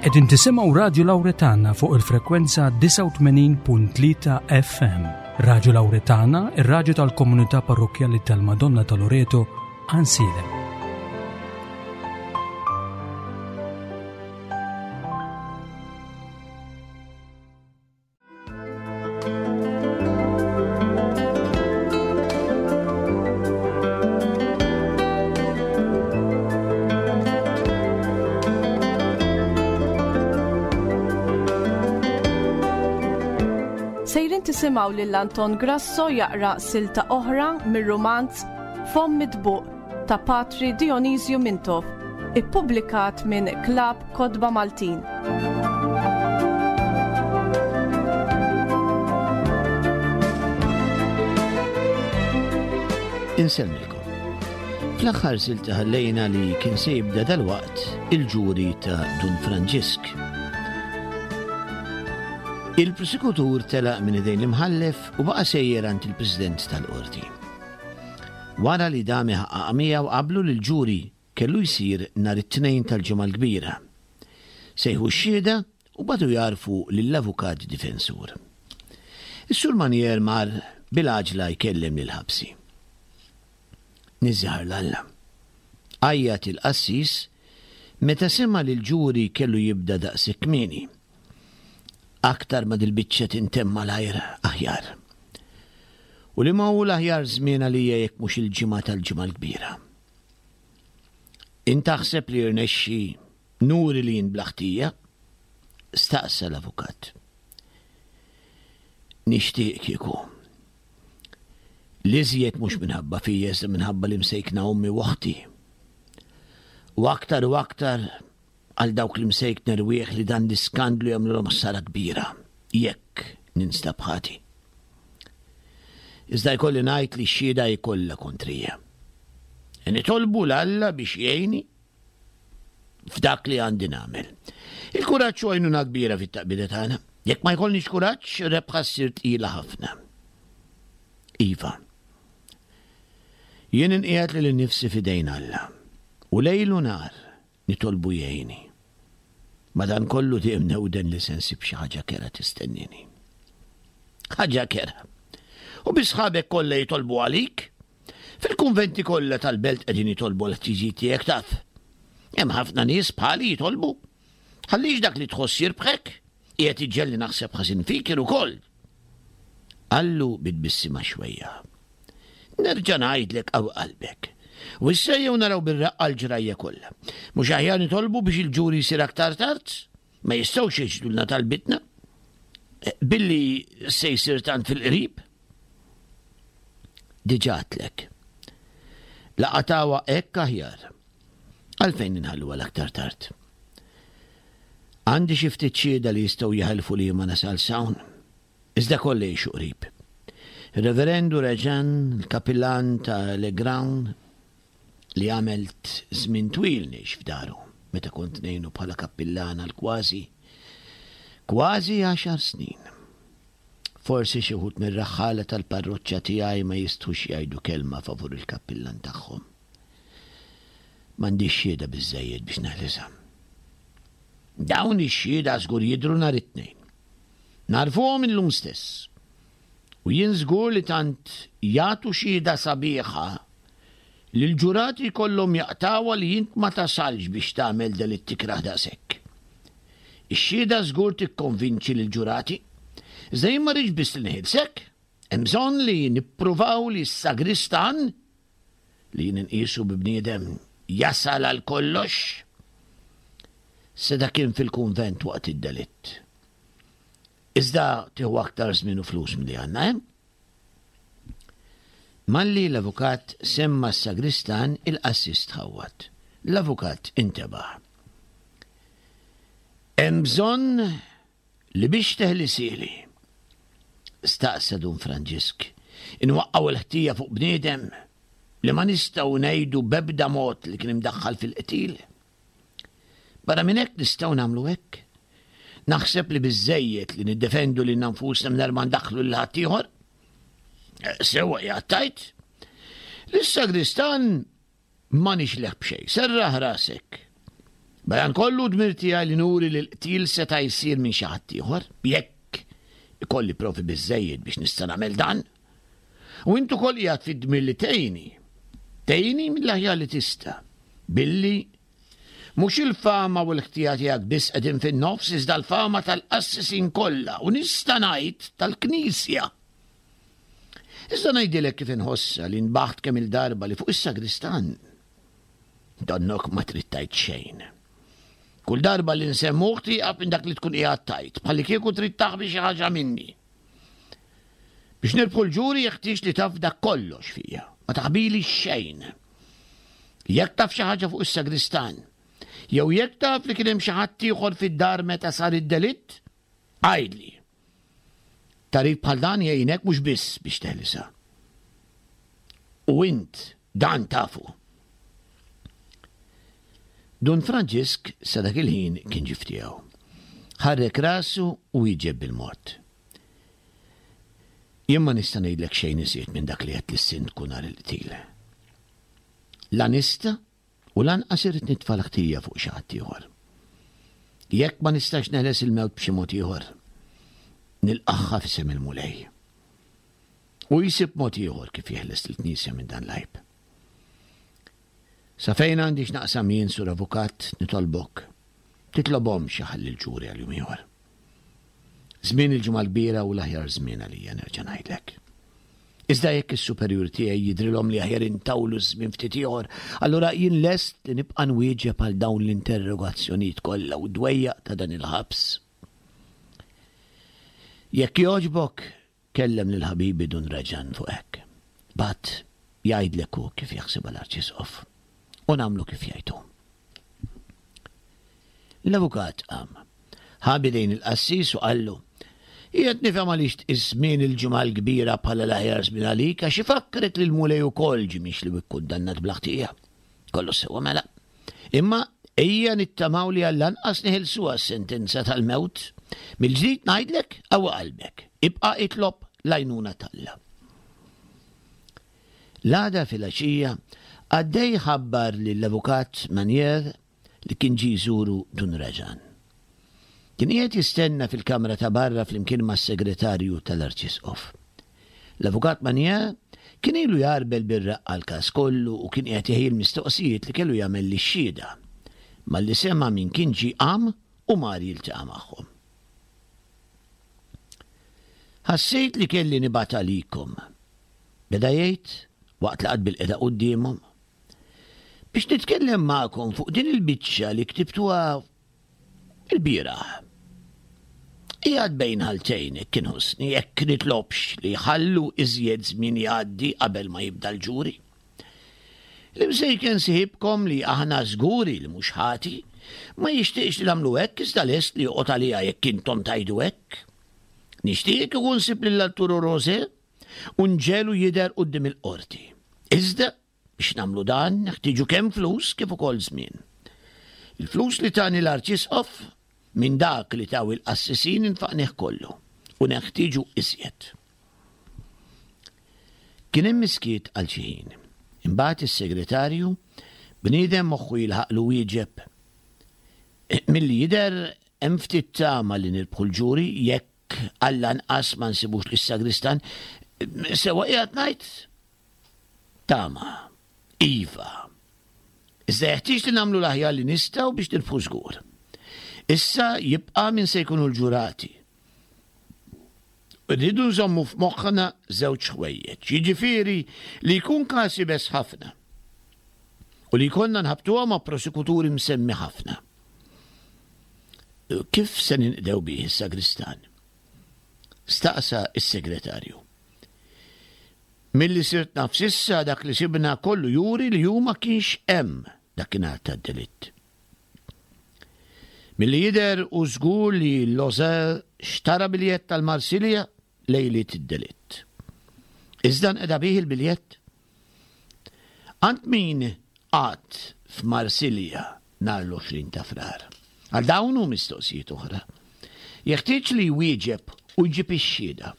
Qegħdin tisimgħu Radju Lawretana fuq il-frekwenza 89.3 FM. Radju Lawretana, ir-radju tal-komunità parrokkjali tal-Madonna ta' Loreto, Ansilem. Sejrin tisimgħu lil Anton Grasso jaqra silta oħra mir-rumanz Fomm Mitbuq ta' Patri Dionisju Mintoff, ippubblikat minn Klabb Kotba Maltin. Insellmilkom. Fl-aħħar silta ħallejna li kien se jibda dalwaqt il-ġuri ta' Dun Franġisk. Il-prosekutur telaq minn idejn l-imħallef u baqa' sejjer għand il-President tal-Qorti. Wara li dam iħaqqaq miegħu qablu li l-ġuri kellu jsir nhar it-Tnejn tal-Ġimgħa l-Kbira. Sejħu x-xhieda u bagħtu jgħarrfu lill-avukat difensur. Is-Sur Manier mar bil-għaġla jkellem lill-ħabsi. Niżżaħar 'l Alla! Għajjat il-qassis meta sema' li l-ġuri kellu jibda daqshekk kmieni. Aktar ma dil-biċċa tintemm malajr aħjar. U liema hu l-aħjar żmien għalija jekk mhux il-ġimgħa tal-Ġimgħa l-Kbira? Int taħseb li jirnexxi nuri li jien bla ħtija? staqsa l-avukat. Nixtieq kieku. L-iżjed mhux minħabba fija iżda minħabba li msejkna ommi u oħti. U aktar u aktar għal dawk l-imsejkna rwieħ li dan l-iskandlu jagħmlulhom ħsara kbira jekk ninstab ħati. Iżda jkolli ngħid li x-xhieda hi kollha kontrija. E nitolbu 'l Alla biex jgħinni f'dak li għandi nagħmel. Il-kuraġġ hu għajnuna kbira fit-taqbida tagħna. Jekk ma jkollniex kuraġġ, rebħa ssir tqila ħafna. Iva. Jien inqiegħed lili nnifsi f'idejn Alla. U lejl u nhar Nitolbu jgħinni. Madankollu dejjem newden li se nsib xi ħaġa kerha tistennini. Ħaġa kerha. U bi sħabek kollha jitolbu għalik? Fil-kunventi kollha tal-belt qegħdin jitolbu għal ħtiġijiet tiegħek taf. Hemm ħafna nies bħali jitolbu. Ħallix dak li tħoss jirbħek, qiegħed iġġelli naħseb ħażin fik jien ukoll. Qallu bi tbissima xwejja. Nerġa' ngħidlek qawwi qalbek. U issa ejjew naraw bir-reqqa l-ġrajja kollha. Mhux aħjar nitolbu biex il-ġuri jsir aktar tard? Ma jistgħux jiġdulna talbitna eh, billi se jsir tant fil-qrib? Diġà għedtlek. Laqatawa hekk aħjar. Għalfejn inħallu għal aktar tard? Għandi xi ftit xhieda li jistgħu jaħilfu li ma nasal s'hawn. Iżda kollha jgħixu qrib. Ir-Reverendu Reġan, il-kapillan ta' Legraun, li għamelt żmien twil ngħix f'daru meta kont ngħinu bħala kappillan għal kważi kważi għaxar snin. Forsi xi wħud mir-raħħala tal-parroċċa tiegħi ma jistħux jgħidu kelma favur il-kappillan tagħhom. M'għandix xhieda biżżejjed biex neħlisha. Dawn ix-xhieda żgur jidhru nhar it-Tnejn. Nagħrfuhom illum stess. U jien żgur li tant jagħtu xhieda sabiħa li l-ġurati jkollhom jaqtgħuha li int ma tasalx biex tagħmel delitt ikrah daqshekk. Ix-xhieda żgur tikkonvinċi lill-ġurati. Iżda jien ma rridx biss li neħilsek. Hemm bżonn li nippruvaw li s-sagristan, li jien inqisu bi bniedem jasal għal kollox, seta' kien fil-kunvent waqt id-delitt. Iżda tieħu aktar żmien u flus milli għandna, eh? Malli l-avukat semma s-sagristan, il-qassis tħawwad. L-avukat intebaħ. Hemm bżonn Li biex teħlisieli? Staqsa Dun Franġisk. Inwaqqgħu l-ħtija fuq bniedem li ma nistgħu ngħidu b'ebda mod li kien imdaħħal fil-qtil? Barra minn hekk nistgħu nagħmlu hekk? Naħseb li biżżejjed li niddefendu lilna nfusna mingħajr ma ndaħħlu lil ħaddieħor. Sewwa qiegħed tgħid. Lis-sagristan Ma nixleh b'xejn. Serraħ rasek. Madankollu dmir tiegħi li nuri li l-qtil seta' jsir minn xi ħadd ieħor, jekk ikolli provi biżżejjed biex nista' nagħmel dan. U int ukoll qiegħed fid-dmir li tgħinni. Tgħinni mill-aħjar li tista', billi mhux il-fama u l-ħtija tiegħek biss qegħdin fin-nofs iżda l-fama tal-qassisin kollha u nista' ngħid tal-Knisja. Iżda ngħidilek kif inħossha li nbaħt kemm-il darba li fuq is-sagristan Donnok ma trid tgħid xejn. Kull darba li nsemmuh tieqaf minn dak li tkun qiegħed tgħid, bħallikieku trid taħbi xi ħaġa minni. Biex nirbħu l-ġuri jeħtieġ li taf dak kollox fija, ma taħbili xejn. Jekk taf xi ħaġa fuq is-sagristan, jew jekk taf li kien hemm xi ħadd ieħor fid-dar meta sar id-delitt, għidli. Tagħrif bħal dan jgħinek mhux biss biex teħlisha. U int dan tafu. Dun Franġisk sa dak il-ħin kien ġie f'tiegħu. Ħarrek rasu u wieġeb bil-mod. Jien ma nista' ngħidlek xejn iżjed minn dak li għedt lis-sindku nhar il-qtil. La nista' U lanqas irrid nitfa' l-ħtija fuq xi ħadd ieħor. Jekk ma nistax neħles il-mewt b'xi mod ieħor, nilqagħha f'isem il-Mulej. U jsib mod ieħor kif jeħles lill-Knisja minn dan l-għajb. Sa fejn għandi x'naqsam jien, Sur Avukat, nitolbok, titlobhomx iħalli l-ġuri għal jum ieħor. Żmien il-Ġimgħa l-Kbira hu l-aħjar żmien għalija nerġa' ngħidlek. Iżda jekk is-superjur tiegħi jidhrilhom li aħjar intawlu ż-żmien ftit ieħor, allura jien lest li nibqa' nwieġeb għal dawn l-interrogazzjonijiet kollha u d-dwejjaq ta' dan il-ħabs. Jekk jogħġbok, kellem lil ħabibi Dun Raġan fuq hekk. Bagħad jgħidlek hu kif jaħsibha l-Arċisqof u nagħmlu kif jgħid hu. L-avukat qam. Ħa b'idejn il-qassis u qallu, Qiegħed nifhem għaliex tqis żmien il-Ġimgħa l-Kbira bħala l-aħjar żmien għalik għax ifakkrek li l-Mulej ukoll ġie mixli u kkundannat bla ħtija. Kollox sewwa mela. Imma ejja nittamaw li għall-anqas neħilsuha s-sentenza tal-mewt. Mill-ġdid ngħidlek, qawwi qalbek. Ibqa' itlob l-għajnuna t'Alla. L-għada filgħaxija, qaddej ħabbar lill-avukat Manier li kien ġie jżuru Dun Raġan. Kien qiegħed jistenna fil-kamra ta' barra flimkien mas-segretarju tal-Arċisqof. L-Avukat Magnier kien ilu jgħarbel bir-reqqa l-każ kollu u kien qiegħed iħejji l-mistoqsijiet li kellu jagħmel lix-xhieda. Malli sema' min kien ġie qam u mar jiltaqa' magħhom. Ħassejt li kelli nibgħat għalikom, beda jgħid waqt li qagħad bilqiegħda quddiemhom. Biex nitkellem magħkom fuq din il-biċċa li ktibtuha il-bieraħ. Qiegħed bejn ħaltejn hekk inħossni jekk nitlobx li jħallu iżjed żmien jgħaddi qabel ma jibda l-ġuri. L-imsejken siħibkom li aħna żguri li mhux ħati, ma jixtieqx li nagħmlu hekk iżda lest li joqgħod għaliha jekk intom tgħidu hekk. Nixtieq kieku nsib lil Arturo Rosé u nġegħlu jidher quddiem il-qorti. Iżda Biex nagħmlu dan, neħtieġu kemm flus kif ukoll żmien. Il-flus li tani l-Arċisqof minn dak li taw il-qassisin infaqnih kollu u neħtieġu iżjed. Kien hemm iskiet għal xi ħin. Imbagħad is-segretarju, bniedem moħħu jilħaqlu wieġeb, Milli jidher hemm ftit tama li nirbħu l-ġuri jekk għall-anqas ma nsibux lis-sagristan. Sewwa qiegħed ngħid? Tama. Iva. Iżda jeħtieġ li nagħmlu l-aħjar li nistgħu biex nirbħu żgur. Issa jibqa' min se jkunu l-ġurati. Rridu nżommu f'moħħna żewġ ħwejjeġ, jiġifieri li jkun każ iebes ħafna u li jkollna nħabbtuha ma' prosekuturi msemmi ħafna. Kif se ninqdew bih is-sagristan? Staqsa s-segretarju. Milli sirt naf s'issa dak li sibna kollu juri li hu ma kienx hemm dakinhar tad-delitt. Milli jidher hu żgur li Loser xtara biljett għal Marsilja lejliet id-delitt. Iżda nqeda bih il-biljett? Għand min qagħad f'Marsilja nhar l-20 ta' Frar? Għal dawn u mistoqsijiet oħra, jeħtieġ li jwieġeb u jġib ix-xhieda.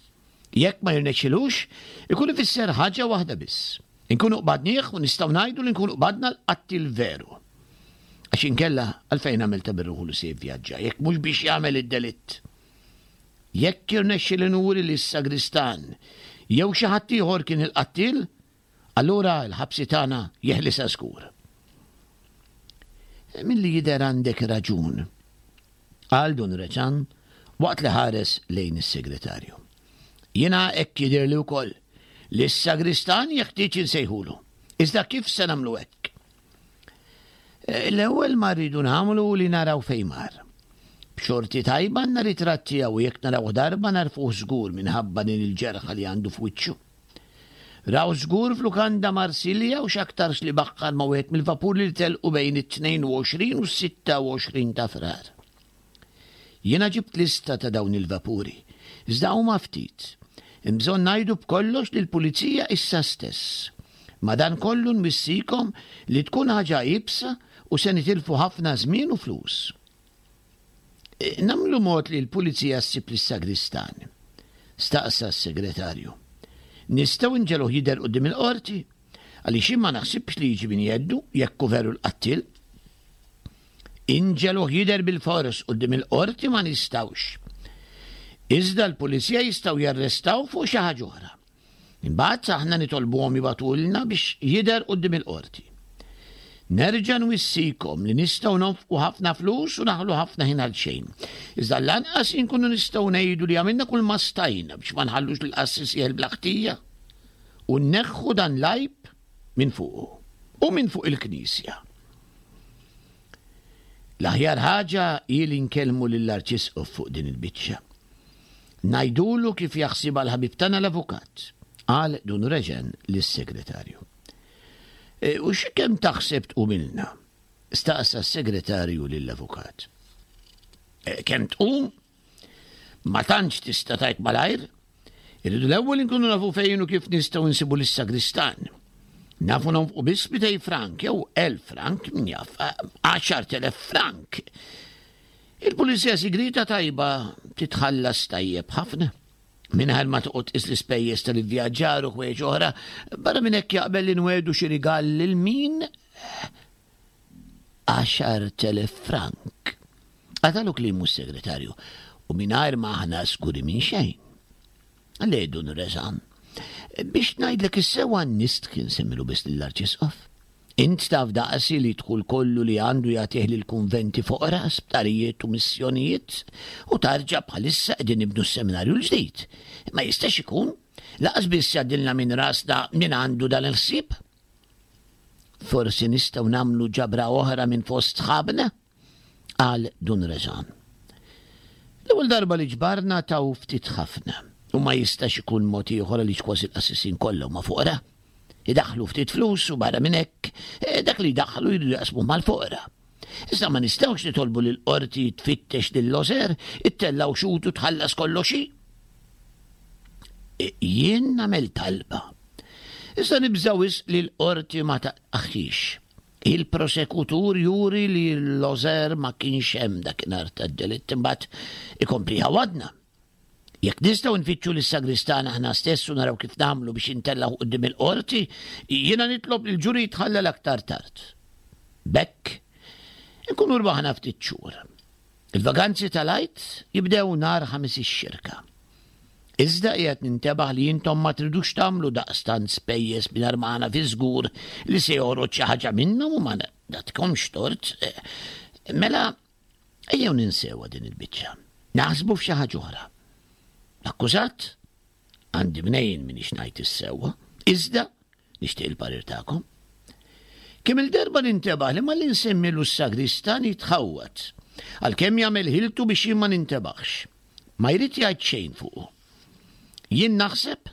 Jekk ma jirnexxilux, ikun ifisser ħaġa waħda biss. Inkunu qbadnieh u nistgħu ngħidu li nkunu qbadna l-qattiel veru. Għax inkella għalfejn għamel ta' birruħu li se jivvjaġġa, jekk mhux biex jagħmel id-delitt. Jekk jirnexxi li nuri li s-sagristan jew xi ħadd ieħor kien il-qattiel, allura l-ħabsi tagħna jeħlisha żgur. Milli jidher għandek raġun, qal Dun Reċan waqt li ħares lejn is-segretarju. Jiena hekk jidhirli wkoll li s-sagristan jeħtieġ insejħulu. Iżda kif se nagħmlu hekk? Eh, l-ewwel ma rridu nagħmlu li naraw fejn mar. B'xorti tajba għandna ritratt tiegħu jekk naraw darba narfuh żgur minħabba din il-ġerħa li għandu f'wiċċu. Raw żgur f'lukanda Marsilja u x'aktarx li baħħar ma' wieħed mill-vapuri li telqu bejn it-22 u s-26 ta' Frar. Jiena ġibt lista ta' dawn il-vapuri, iżda huma ftit. Hemm bżonn ngħidu b'kollox lill-pulizija issa stess. Madankollu nwissikom li tkun ħaġa iebsa u se nitilfu ħafna żmien u flus. Nagħmlu mod li l-pulizija ssib lis-sagristan? staqsa s-segretarju. Nistgħu nġegħluh jidher quddiem il-qorti? Għaliex jien ma naħsibx li jiġi minn jeddu jekk hu veru l-qattiel. Inġegħluh jidher bilfors quddiem il-qorti ma nistgħux. Iżda l-pulizija jistgħu jarrestawh fuq xi ħaġa oħra. Imbagħad aħna nitolbuhom jibagħtulna biex jidher quddiem il-qorti. Nerġa' nwissikom li nistgħu nonfqu ħafna flus u naħlu ħafna ħin għal xejn. Iżda lanqas inkunu nistgħu ngħidu li għamilna kull ma stajna biex ma nħallux lill-qassis jeħel bla ħtija u nneħħu dan l-għajb minn fuqu u minn fuq il-Knisja. L-aħjar ħaġa hi li nkellmu lill-Arċisqof fuq din il-biċċa. Ngħidulu kif jaħsibha l-ħabib tagħna l-avukat, qal Dun Reġen lis-segretarju. E, u xi kemm taħseb tqumilna? staqsa s-segretarju lill-avukat. E, kemm tqum? Ma tantx tista' tgħid malajr. Irridu l-ewwel inkunu nafu fejn u kif nistgħu nsibu lis-sagristan. Nafu nonfqu biss 200 frank jew 1000 frank, min jaf, 10,000 frank. Il-pulizija sigrieta tajba titħallas tajjeb ħafna. Mingħajr ma toqgħod tqis l-ispejjeż tal-ivvjaġġar u ħwejjeġ oħra, barra minn hekk jaqbel li nwegħdu xi rigal lil min 10,000 frank. Qatalu kliemu s-segretarju u mingħajr ma aħna skuri minn xejn. Le dun Reżan, biex ngħidlek is-sewwa nistħi nsemmilu biss lill-Arċisqof. Int taf daqsi li d-dħul kollu li għandu jagħtih lill-kunventi foqra, sptarijiet u missjonijiet, u tarġa' bħalissa qegħdin nibnu s-seminarju l-ġdid. Ma jistax ikun, laqas biss jgħaddilna minn rasna min għandu dan il-ħsieb. Forsi nistgħu nagħmlu ġabra oħra minn fost sħabna? qal Dun Reżan. L-ewwel darba li ġbarna taw ftit ħafna u ma jistax ikun mod ieħor għaliex kważi l-qassisin kollha huma foqra. Idaħħlu ftit flus u barra minn hekk eh, dak li jdaħħlu jridu jaqsmuh mal-foqra. Iżda ma nistgħux nitolbu lil qorti tfittex lil Loser, ittellgħu xut u tħallas kollox hi. Eh, jien nagħmel talba. Iżda nibża' wisq li l-qorti ma taqaħħix. Il-prosekutur juri li Loser ma kienx hemm dakinhar tad-delitt imbagħad ikompli jħawwadna. Jekk nistgħu nfittxu lis-sagristan aħna stess u naraw kif nagħmlu biex intellgħu quddiem il-qorti, jiena nitlob li l-ġuri jitħallel aktar tard. B'hekk, inkunu rbaħna ftit xhur. Il-vaganzi tal-Għid jibdew nhar Ħamis ix-Xirka. Iżda qiegħed nintebaħ li intom ma tridux tagħmlu daqstant spejjeż mingħajr ma aħna fiż-żgur li se joħroġ xi ħaġa minnhom u ma nagħtikomx tort. Mela, ejjew ninsewha din il-biċċa. Naħsbu f'xi ħaġa oħra. L-akkużat? Għandi mnejn m'iniex ngħid is-sewwa, iżda nixtieq il-parir tagħkom. Kemm il-darba nintebaħ li malli nsemmilu s-sagristan jitħawwad, għalkemm jagħmel ħiltu biex jien ma nintebaħx. Ma jrid jgħid xejn fuqu. Jien naħseb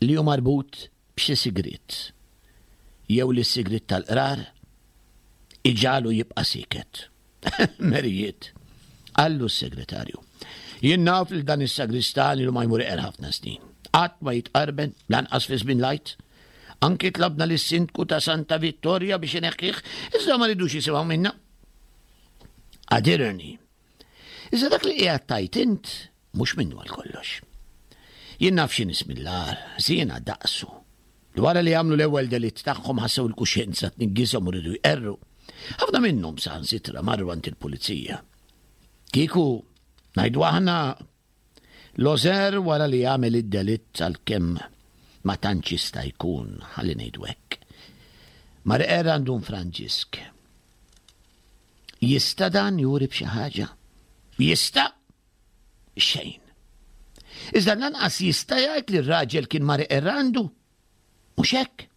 li hu marbut b'xi sigriet. Jew li s-sigriet tal-qrar iġagħlu jibqa' sieket. Merijiet, qallu s-segretarju. Jien naf lil dan is-sagristan ilu ma jmur iqer ħafna snin. Qatt ma jitqarben, lanqas fi żmien l-Għid. Anki tlabna lis-sindku ta' Santa Vittoria biex ineħħih, iżda ma ridux jisimgħu minna. Għadirni. Iżda dak li qiegħed tgħid int mhux minnu għal kollox. Jien naf xi nies mill-agħar, żiena daqsu. Li wara li għamlu l-ewwel delitt tagħhom ħassew il-kuxjenza tniggishom u riedu jqerru. Ħafna minnhom saħansitra marru għand il-pulizija. Kieku, ngħidu aħna, Loser wara li għamel id-delitt għalkemm ma tantx jista' jkun, ħalli ngħidu hekk. Mar iqerr għand Dun Franġisk. Jista' dan juri b'xi ħaġa? Jista'? Xejn. Iżda lanqas jista' jgħid li r-raġel kien mar iqerr għandu? Mhux hekk?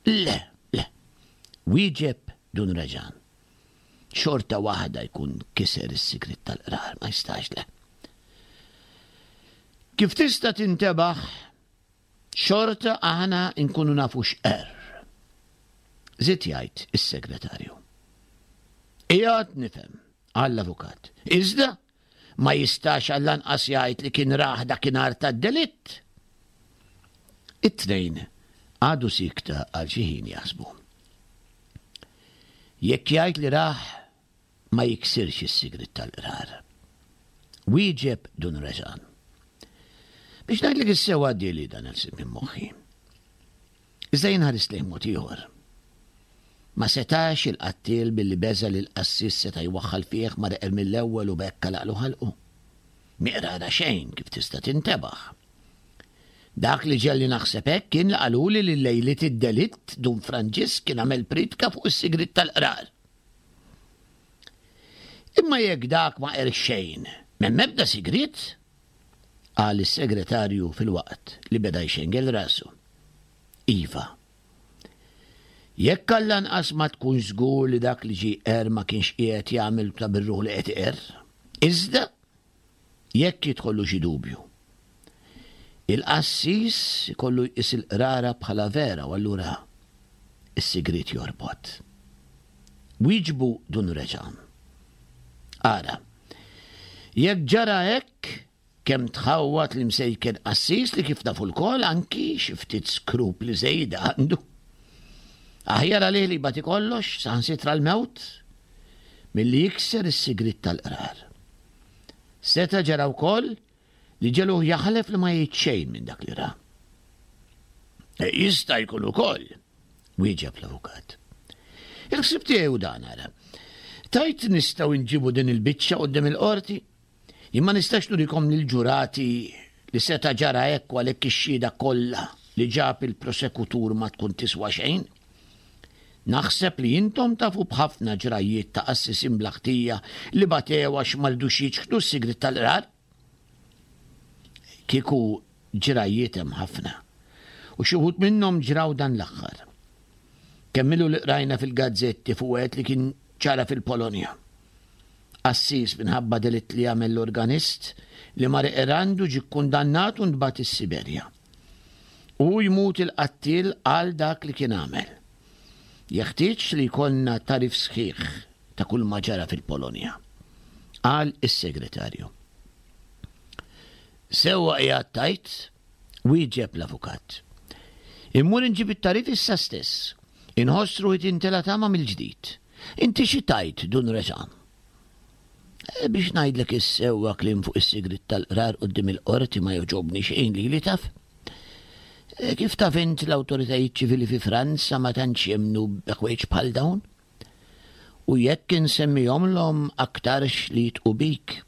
Le, le. Wieġeb Dun Raġan. Xorta waħda jkun kiser is-sigriet tal-qrar, ma jistax le. Kif tista' tintebaħ, xorta aħna nkunu nafu x'qerr. Żied jgħid is-segretarju. Qiegħed nifhem, qal l-avukat. Iżda ma jistax għall-anqas jgħid li kien rah dakinhar tad-delitt. It-tnejn qagħdu siekta għal xi ħin jaħsbu. Jekk jgħid li rah ma jiksirx is-sigriet tal-qrar. Wieġeb Dun Reżan. Biex ngħidlek is-sewwa għaddieli dan il-ħsieb minn moħħi. Iżda jien ħarist lejh mod ieħor. Ma setax il-qattiel billi beża' li l-qassis seta' jwaħħal fih ma reqer mill-ewwel u b'hekk għalaqlu ħalqu? Miqrara xejn kif tista' tintebaħ. Dak li ġegħelni naħseb hekk kien li qaluli li lejliet id-delitt Dun Franġisk kien għamel priedka fuq is-sigriet tal-qrar. Imma jekk dak ma qerx xejn, m'hemm ebda sigriet? qal is-segretarju filwaqt li beda jxengel rasu. Iva. Jekk għall-anqas ma tkunx żgur li dak li ġie jqerr ma kienx qiegħed jagħmel ta' bir-ruħ li qed iqerr. Iżda, jekk jidħollu xi dubju, il-qassis ikollu jqis il-qrara bħala vera u allura s-sigriet jorbot. Wieġbu Dun Reġan. Ara, jekk ġara hekk, kemm tħawwad l-imsejken qassis li kif nafu lkoll anki xi ftit skrupli żejda għandu. Aħjar għalih li jbati kollox, saħansitra l-mewt, milli jikser is-sigriet tal-qrar. Seta' ġara wkoll li ġegħluh jaħlef li ma jgħid xejn minn dak li ra. E, jista' jkun ukoll, wieġeb l-avukat. Il-ħsieb tiegħi hu dan ara. Tajt nistgħu nġibu din il-biċċa quddiem il-qorti? Jien ma nistax nurikom lill-ġurati li seta' ġara hekk u għalhekk ix-xhieda kollha li ġab il-prosekutur ma tkun tiswa xejn. Naħseb li intom tafu b'ħafna ġrajjiet ta' qassisin bla ħtija li batew għax ma ridux jiċħdu s-sigriet tal-qrar. Kieku ġrajjiet hemm ħafna. U xi wħud minnhom ġraw dan l-aħħar. Kemm ilu li qrajna fil-gazzetti fuq wieħed li kien ċara fil-Polonja. Qassis minħabba delitt li għamel l-organist li mar iqrandu ġie kkundannat u ntbagħat is-Siberja. U jmut il-qattiel għal dak li kien għamel. Jeħtieġ li jkollna tagħrif sħiħ ta' kull ma ġara fil-Polonja. Qal is-segretarju. Sewwa qiegħed tgħid, wieġeb l-avukat. Immur inġib it-tagħrif issa stess. Inħoss ruħi tintela' tama mill-ġdid. Inti xi tgħid, Dun Reżan? Eh, biex ngħidlek is-sewwa kliem fuq is-sigriet tal-qrar quddiem il-qorti ma jogħġobni xejn lili taf. Eh, kif taf int l-awtoritajiet ċivili fi Franza ma tantx jemmnu b'ħwejġ bħal dawn? U jekk insemmihomlhom aktarx li jitqu bik.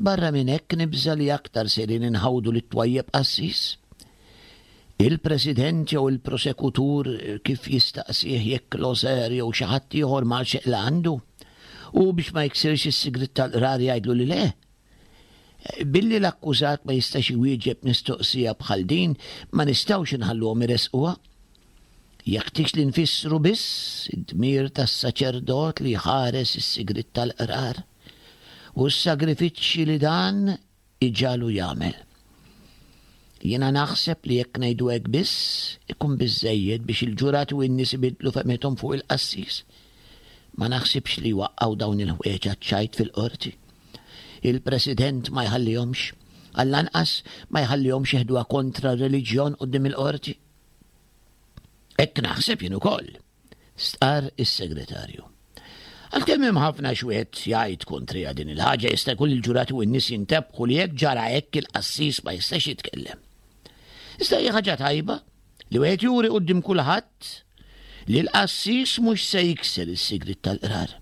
Barra minn hekk nibża' li aktar sejrin inħawdu lit-twajjeb qassis. Il-President jew il-prosekutur kif jistaqsih jekk Loser jew xi ħadd ieħor mar xi qla għandu, u biex ma jiksirx is-sigriet tal-qrar jgħidlu li le? Billi l-akkużat ma jistax iwieġeb mistoqsija bħal din, ma nistgħux inħalluhom iressquha. Jeħtieġ li nfissru biss id-dmir tas-saċerdot li jħares is-sigriet tal-qrar u s-sagrifiċċji li dan iġagħlu jagħmel. Jiena naħseb li jekk ngħidu hekk biss, ikun biżżejjed biex il-ġurati u n-nies ibiddlu fehmithom fuq il-qassis. Ma naħsibx li jwaqqgħu dawn il-ħwejjeġ għaċ-ċajt fil-qorti. Il-President ma jħallihomx. Għall-anqas ma jħallihomx jeħduha kontra r-reliġjon quddiem il-qorti. Hekk naħseb jien ukoll. Stqarr is-Segretarju. Għalkemm hemm ħafna x'wieħed jgħid kontriha din il-ħaġa jista' jkun li l-ġurati u n-nies jintebħu li jekk ġara hekk il-qassis ma jistax jitkellem. Iżda hija ħaġa tajba li wieħed juri quddiem kulħadd. li l-qassis mhux se jikser is-sigriet tal-qrar.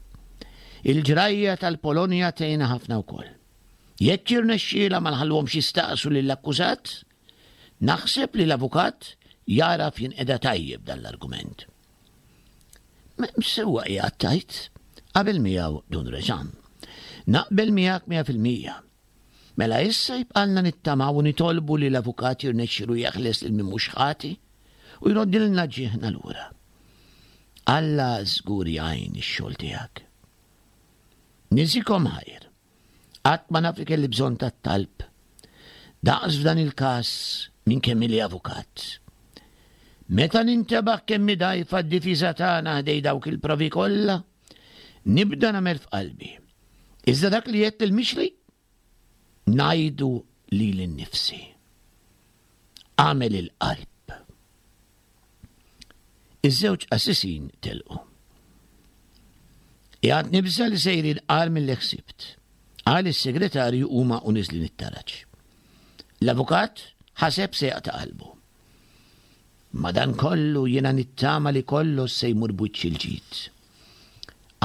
Il-ġrajja tal-Polonja tgħinna ħafna wkoll. Jekk jirnexxielha ma nħalluhomx jistaqsu lill-akkużat, naħseb li l-avukat jagħraf jinqeda tajjeb dan l-argument. Sewwa qiegħed tgħid, qabel miegħu Dun Reġan. Naqbel miegħek 100%. Mela issa jibqalna nittamaw u nitolbu li l-avukat jirnexxilu jeħles lil min mhux ħati u jroddilna ġieħna lura. Alla żgur jgħin ix-xogħol tiegħek. Niżikom ħajr. Qatt ma naf li kelli bżonn tat-talb. Daqs f'dan il-każ minn kemm ili avukat. Meta nintebaħ kemm hi dgħajfa d-difiża tagħna ħdej dawk il-provi kollha, nibda nagħmel f'qalbi. Iżda dak li għedt lil Mixli, ngħidu lili nnifsi. Agħmel il-qalb. Iż-żewġ qassisin telqu. Qiegħed nibża' li sejrin agħar milli ħsibt, qal is-segretarju huma u niżlin it-taraġ. L-avukat ħaseb se jaqta' qalbu. Madankollu jiena nittama li kollox se jmur b'wiċċ il-ġid.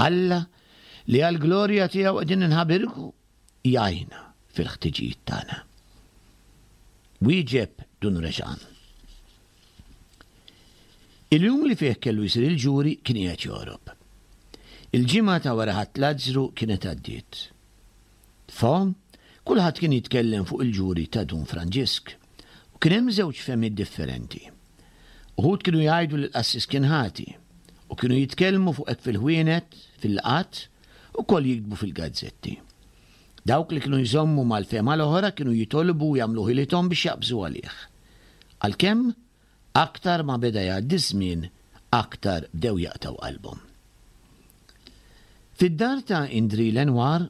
Alla, li għall-glorja tiegħu qegħdin inħabirku, jgħinna fil-ħtiġijiet tagħna. Wieġeb Dun Reġan. Il-jum li fih kellu jsir il-ġuri kien qiegħed jogħrob. Il-ġimgħa ta' wara Ħadd Lazzru kienet għaddiet. Fo, kulħadd kien jitkellem fuq il-ġuri ta' Dun Franġisk u kien hemm żewġ fehmiet differenti. Uħud kienu jgħidu li l-qassis kien ħati u kienu jitkellmu fuq hekk fil-ħwienet, fil-laqgħat, ukoll jiktbu fil-gazzetti. Dawk li kienu jżommu mal-fehma l-oħra kienu jitolbu u jagħmlu ħilithom biex jaqbżu għalih. Għalkemm, aktar ma beda jgħaddi ż-żmien, aktar bdew jaqtgħu qalbhom. Fid-dar ta' Indri Lenoir,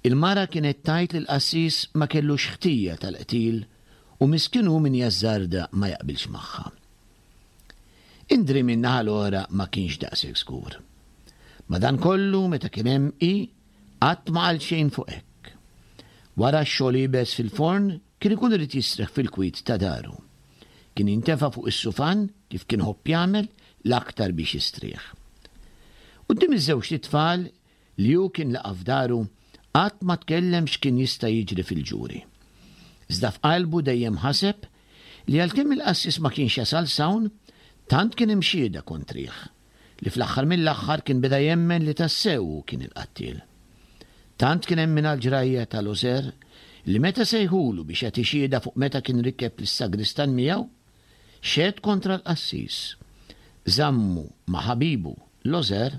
il-mara kienet tgħid li l-qassis ma kellux ħtija tal-qtil u miskin hu min jażżarda ma jaqbilx magħha. Indri min-naħa l-oħra ma kienx daqshekk żgur. Madankollu meta kien hemm hi, qatt ma qal xejn fuq hekk. Wara x-xogħol iebes fil-forn kien ikun irid jistrieħ fil-kwiet ta' daru. Kien jintefa' fuq is-sufan kif kien iħobb jagħmel l-aktar biex jistrieħ. Quddiem iż-żewġt itfal li hu kien laqa' f'daru, qatt ma tkellem x'kien jista' jiġri fil-ġuri. Iżda f'qalbu dejjem ħaseb li għalkemm il-qassis ma kienx jasal s'hawn, tant kien hemm xhieda kontrih, li fl-aħħar mill-aħħar kien beda jemmen li tassew hu kien il-qattiel. Tant kien hemm minn għall-ġrajja ta' Loser li meta sejħulu biex jagħti xhieda fuq meta kien rikeb lis-sagristan miegħu, Xehed kontra l-qassis. Żammu ma' ħabibu, Lozer,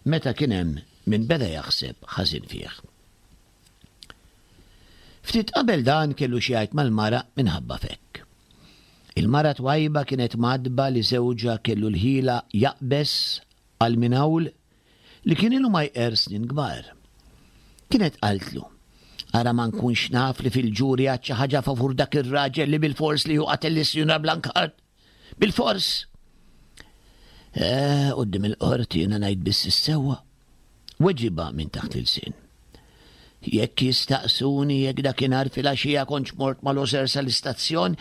meta kien hemm min beda jaħseb ħażin fih. Ftit qabel dan kellu xi jgħid mal-mara minħabba f'hekk. Il-mara twajba kienet mgħaddba li żewġha kellu l-ħila jaqbeż għal minn hawl li kien ilu ma jqerr snin kbar. Kienet qaltlu, Ara ma nkunx naf li fil-ġuri għad xi ħaġa favur dak ir-raġel li bilfors li hu qatel lis-Sinjura Blancard. Bilfors! Eh, quddiem il-qorti jiena ngħid biss is-sewwa. Weġibha minn taħt l-ilsien. Jekk jistaqsuni jekk dakinhar filgħaxija kontx mort ma' Loser sal-istazzjon,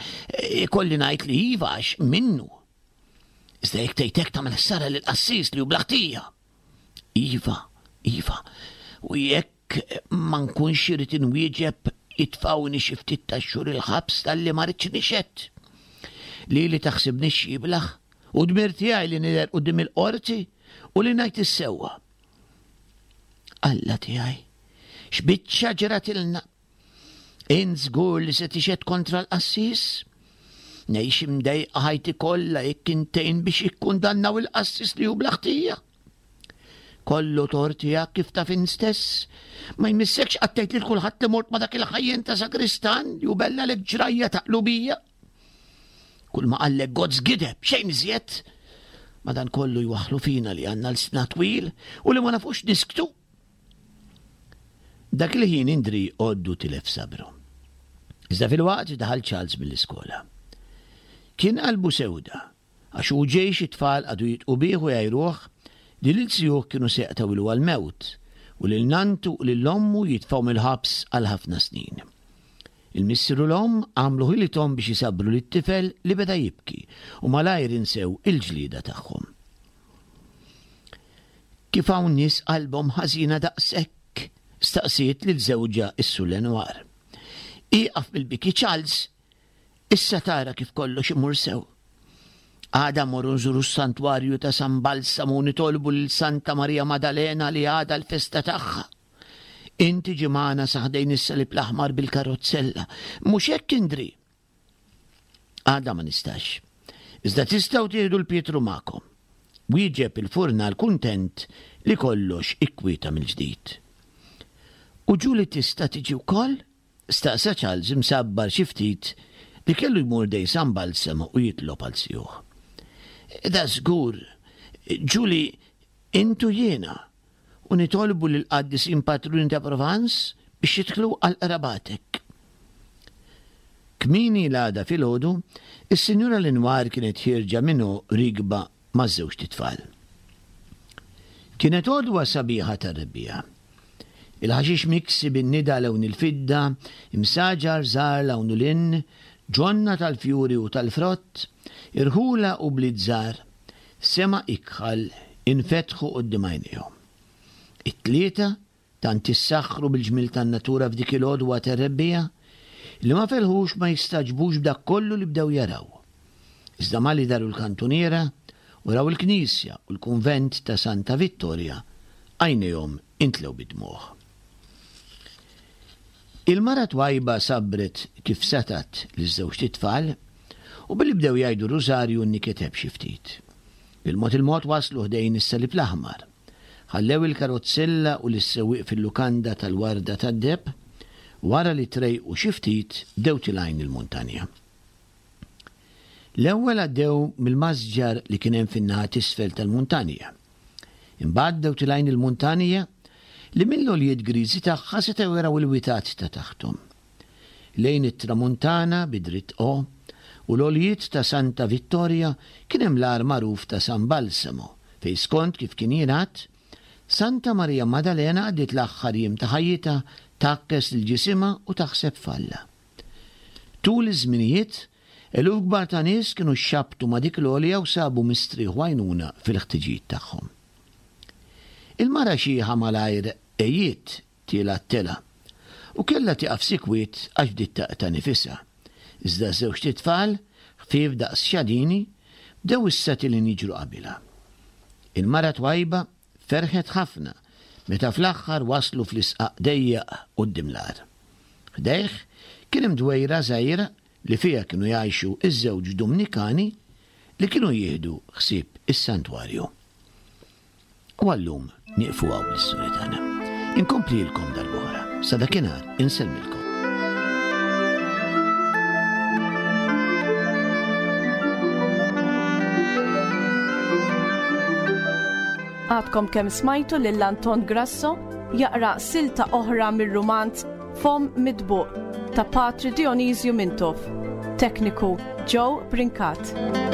ikolli ngħid li iva għax minnu. Iżda jekk tgħid hekk tagħmel ħsara lill-qassis li hu bla ħtija. Iva, iva, u jekk ma nkunx irid inwieġeb itfgħuni xi ftit ta' xhur il-ħabs talli ma rridx nixhed. Lili taħsibni x'jiblaħ u dmir tiegħi li nidher quddiem il-qorti u li ngħid is-sewwa. Alla tiegħi, x'biċċa ġratilna! Int żgur li se tixhed kontra l-qassis? Ngħix imdejqa ħajti kollha jekk int tgħin biex jikkundannaw il-qassis li hu bla ħtija. Kollu tort tiegħek kif taf int stess. Ma jmissekx qatt tgħid lil kulħadd li mort ma' dak il-ħajjen ta' sagristan li hu bellalek ġrajja ta' qlubija. Kull ma qallek Gozz gideb, xejn iżjed. Madankollu jwaħħlu fina li għandna lsna twil u li ma nafux nisktu. Dak il-ħin Indri għoddu tilef sabru. Iżda filwaqt daħal Charles mill-iskola. Kien qalbu sewda, għax hu ġej xi tfal qagħdu jidqu bih u jgħajruh li lil zijuh kienu se jaqtgħilu għall-mewt u lil nanntu u lil ommu jitfgħu mill-ħabs għal ħafna snin. Il-missier u l-omm għamlu ħilithom biex isabbru lit-tifel li beda jibki u malajr insew il-ġlieda tagħhom. Kif hawn nies qalbhom ħażina daqshekk? staqsiet lil żewġha s-Sur Lenoir. Ieqaf mill-biki Charles, issa tara kif kollox imur sew. Għada mmorru nżuru s-santwarju ta' San Balsamu u nitolbu lil Santa Marija Madalena li għada l-festa tagħha. Int tiġi magħna sa ħdejn is-Salib l-Aħmar bil-karozzella. Mhux hekk Indri? Għada ma nistax. Iżda tistgħu tieħdu l-Pietru magħkom. Wieġeb il-furnal kuntent li kollox ikkwieta mill-ġdid. U Julie tista' tiġi wkoll? staqsa Charles imsabbar xi ftit li kellu jmur ħdejn San Balsamo u jitlob għal sijuh. Da żgur, Julie, int u jiena, u nitolbu lill-qaddisin patruni ta' Provence biex jidħlu għal qrabatek. Kmieni l-għada filgħodu, is-Sinjura Lenoir kienet ħierġa minn rikba maż-żewġt itfal. Kienet għodwa sabiħa tar-rebbiegħa. Il-ħaxix miksi bin-nida lewn il-fidda, imsaġar żgħar 'l hawn u 'l hinn, ġonna tal-fjuri u tal-frott, irħula u bliet żgħar, sema ikħal infetħu quddiem għajnejhom. It-tlieta tant issaħħru bil-ġmiel tan-natura f'dik il-għodwa tar-rebbiegħa li ma felħux ma jistagħġbux b'dak kollu li bdew jaraw. Iżda malli daru l-kantuniera u raw il-knisja u l-kunvent ta' Santa Vittoria, għajnejhom intlew bid-dmugħ. Il-mara twajba sabbret kif setgħet liż-żewġt itfal u billi bdew jgħidu r-rużarju nniketeb xi ftit. Bil-mod il-mod waslu ħdejn is-Salib l-Aħmar. Ħallew il-karozzella u lis-sewwieq fil-lukanda tal-Warda tad-Deheb, wara li trejqu xi ftit bdew tilgħin il-muntanja. L-ewwel għaddew mill-masġar li kien hemm fin-naħa t'isfel tal-muntanja. Imbagħad bdew tilgħin il-muntanja li mill-għoljiet griżi tagħha setgħu jaraw il-witat ta' taħthom. Lejn it-tramuntana bi dritt O u l-għoljiet ta' Santa Vittoria kien hemm l-għar magħruf ta' San Balsamo fejn skont kif kien jingħad, Santa Marija Madalena għaddiet l-aħħar jiem ta' ħajjitha tgħakkes lil ġisimha u taħseb f'Alla. Tul iż-żminijiet, eluf kbar ta' nies kienu xxabbtu ma' dik l-għolja u sabu mistrieħ u għajnuna fil-ħtiġijiet tagħhom. Il-mara xiħa malajr għejiet tielgħa t-telgħa u kellha tieqaf sikwit għax bdiet taqta' nifisha. Iżda ż-żewġt itfal, ħfief daqs xadini, bdew issa tilgħin jiġru qabilha. Il-mara twajba ferħet ħafna meta fl-aħħar waslu fl-isqaq dejjaq quddiem l-għar. Ħdejh kien hemm dwejra żgħira li fiha kienu jgħixu ż-żewġ Dumnikani li kienu jieħdu ħsieb is-santwarju. U għal-lum nieqfu hawn bl-istorja tagħna. Inkomplilkom darb'oħra. Sa dakinhar insellmilkom. Għadkom kemm smajtu lil Anton Grasso jaqra silta oħra mir-rumanz Fomm Mitbuq ta' Patri Dionisju Mintoff. Tekniku Joe Brincat.